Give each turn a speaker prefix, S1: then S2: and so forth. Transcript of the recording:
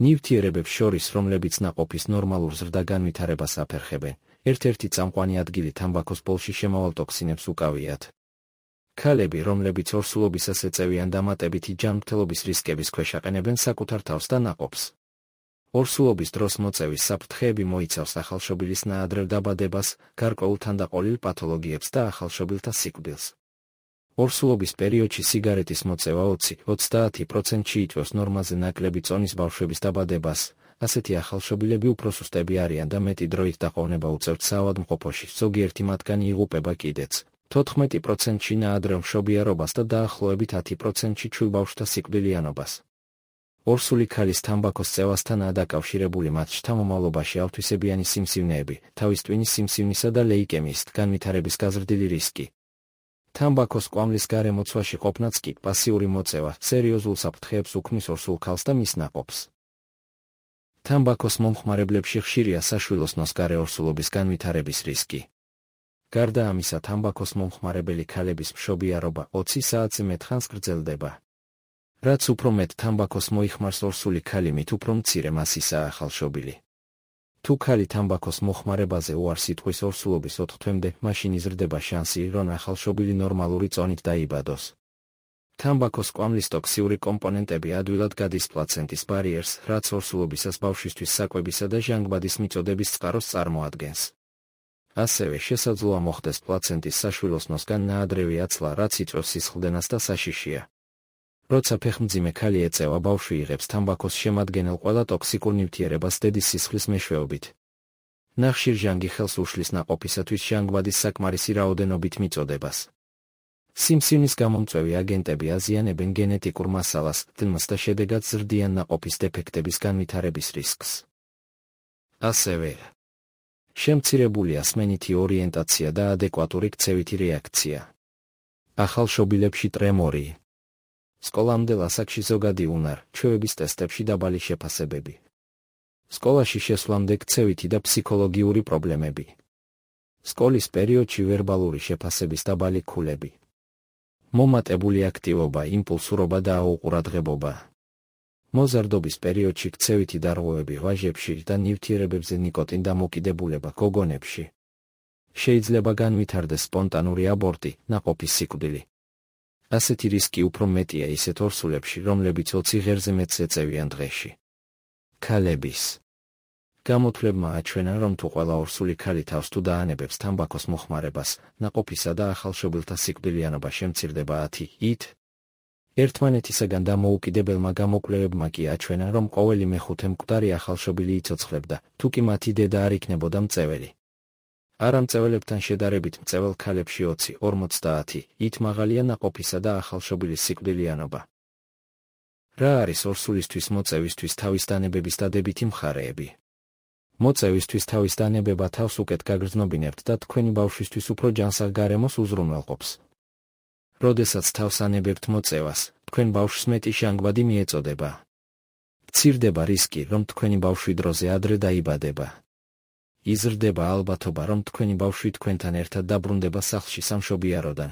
S1: ნივთიერებებს შორის, რომლებიც ნაყოფის ნორმალურ ზრდა-განვითარებას აფერხებენ, ერთ-ერთი წამყვანი ადგილი თამბაქოს პოლში შემავალ ტოქსინებს უკავიათ. ქალები, რომლებიც ორსულობისას ეწევიან დამატებითი ჯანმრთელობის რისკების ქვეშ აყენებენ საკუთარ თავს და ნაყოფს. ორსულობის დროს მოწევის საფრთხეები მოიცავს ახალშობილის ნაადრევ დაბადებას, გარკვეულ თანდაყოლილ პათოლოგიებს და ახალშობილთა სიკვდილს. ორსულობის პერიოდში სიგარეტის მოწევა 20-30%-ში იწვევს ნორმაზე ნაკლები წონის ბავშვების დაბადებას. ასეთი ახალშობილები უფრო სუსტები არიან და მეტი დროით დაყოვნება უწევთ საავადმყოფოში, ზოგიერთი მათგანი იღუპება კიდეც. 14%-ში ნაადრევ მშობიარობას და დაახლოებით 10%-ში ჩვილ ბავშვთა სიკვდილიანობას. ორსული ქალის თამბაქოს წევასთანაა დაკავშირებული მათ შთამომავლობაში ავთვისებიანი სიმსივნეები, თავის ტვინის სიმსივნისა და ლეიკემიის განვითარების გაზრდილი რისკი. თამბაქოს კვამლის გარემოცვაში ყოფნაც კი პასიური მოწევა სერიოზულ საფრთხეებს უქმნის ორსულ ქალს და მის ნაყოფს. თამბაქოს მომხმარებლებში ხშირია საშვილოსნოს გარე ორსულობის განვითარების რისკი. გარდა ამისა, თამბაქოს მომხმარებელი ქალების მშობიარობა 20 საათზე მეტ ხანს გრძელდება. რაც უფრო მეტ თამბაქოს მოიხმარს ორსული ქალი, მით უფრო მცირე მასისაა ახალშობილი. თუ ქალი თამბაქოს მოხმარებაზე უარს იტყვის ორსულობის 4 თვემდე, მაშინ იზრდება შანსი, რომ ახალშობილი ნორმალური წონით დაიბადოს. თამბაქოს კვამლის ტოქსიური კომპონენტები ადვილად გადის პლაცენტის ბარიერს, რაც ორსულობისას ბავშვისთვის საკვებისა და ჟანგბადის მიწოდების წყაროს წარმოადგენს. ასევე შესაძლოა მოხდეს პლაცენტის საშვილოსნოსგან ნაადრევი აცლა, რაც იწვევს სისხლდენას და საშიშია. როცა ფეხმძიმე ქალი ეწევა, ბავშვი იღებს თამბაქოს შემადგენელ ყველა ტოქსიკურ ნივთიერებას დედის სისხლის მეშვეობით. ნახშირ ჟანგი ხელს უშლის ნაყოფისათვის ჟანგბადის საკმარისი რაოდენობით მიწოდებას. სიმსივნის გამომწვევი აგენტები აზიანებენ გენეტიკურ მასალას, დნმ-ს და შედეგად ზრდიან ნაყოფის დეფექტების განვითარების რისკს. ასევე შემცირებულია სმენითი ორიენტაცია და ადეკვატური ქცევითი რეაქცია. ახალშობილებში ტრემორი. სკოლამდელ ასაკში ზოგადი უნარ, ჩვევების ტესტებში დაბალი შეფასებები. სკოლაში შესვლამდე ქცევითი და ფსიქოლოგიური პრობლემები. სკოლის პერიოდში ვერბალური შეფასების დაბალი ქულები. მომატებული აქტივობა, იმპულსურობა და აუყურადღებობა. მოზარდობის პერიოდში ქცევითი დარღვევები ვაჟებში და ნივთიერებებზე ნიკოტინ დამოკიდებულება გოგონებში. შეიძლება განვითარდეს სპონტანური აბორტი, ნაყოფის სიკვდილი. ასეთი რისკი უფრო მეტია ისეთ ორსულებში, რომლებიც 20 ღერზე მეტს ეწევიან დღეში. ქალების გამოთვლებმა აჩვენა, რომ თუ ყველა ორსული ქალი თავს თუ დაანებებს თამბაქოს მოხმარებას, ნაყოფისა და ახალშობილთა სიკვდილიანობა შემცირდება 10%. ერთმანეთისაგან დამოუკიდებელმა გამოკვლევებმა კი აჩვენა, რომ ყოველი მეხუთე მკვდარი ახალშობილი იცოცხლებდა, თუ კი მათი დედა არ იქნებოდა მწეველი. არამწეველებთან შედარებით მწეվել ქალებში 20-50% მაღალია ნაყოფისა და ახალშობილის სიკვდილიანობა. რა არის ორსულისთვის მოწევისთვის თავის დანებების დადებითი მხარეები? მოწევისთვის თავის დანებება თავს უკეთ გაგრძნობინებთ და თქვენი ბავშვისთვის უფრო ჯანსაღ გარემოს უზრუნველყოფს. როდესაც თავს ანებებთ მოწევას, თქვენ ბავშვს მეტი ჟანგბადი მიეწოდება. მცირდება რისკი, რომ თქვენი ბავშვი დროზე ადრე დაიბადება. იზრდება ალბათობა, რომ თქვენი ბავშვი თქვენთან ერთად დაბრუნდება სახლში სამშობიაროდან.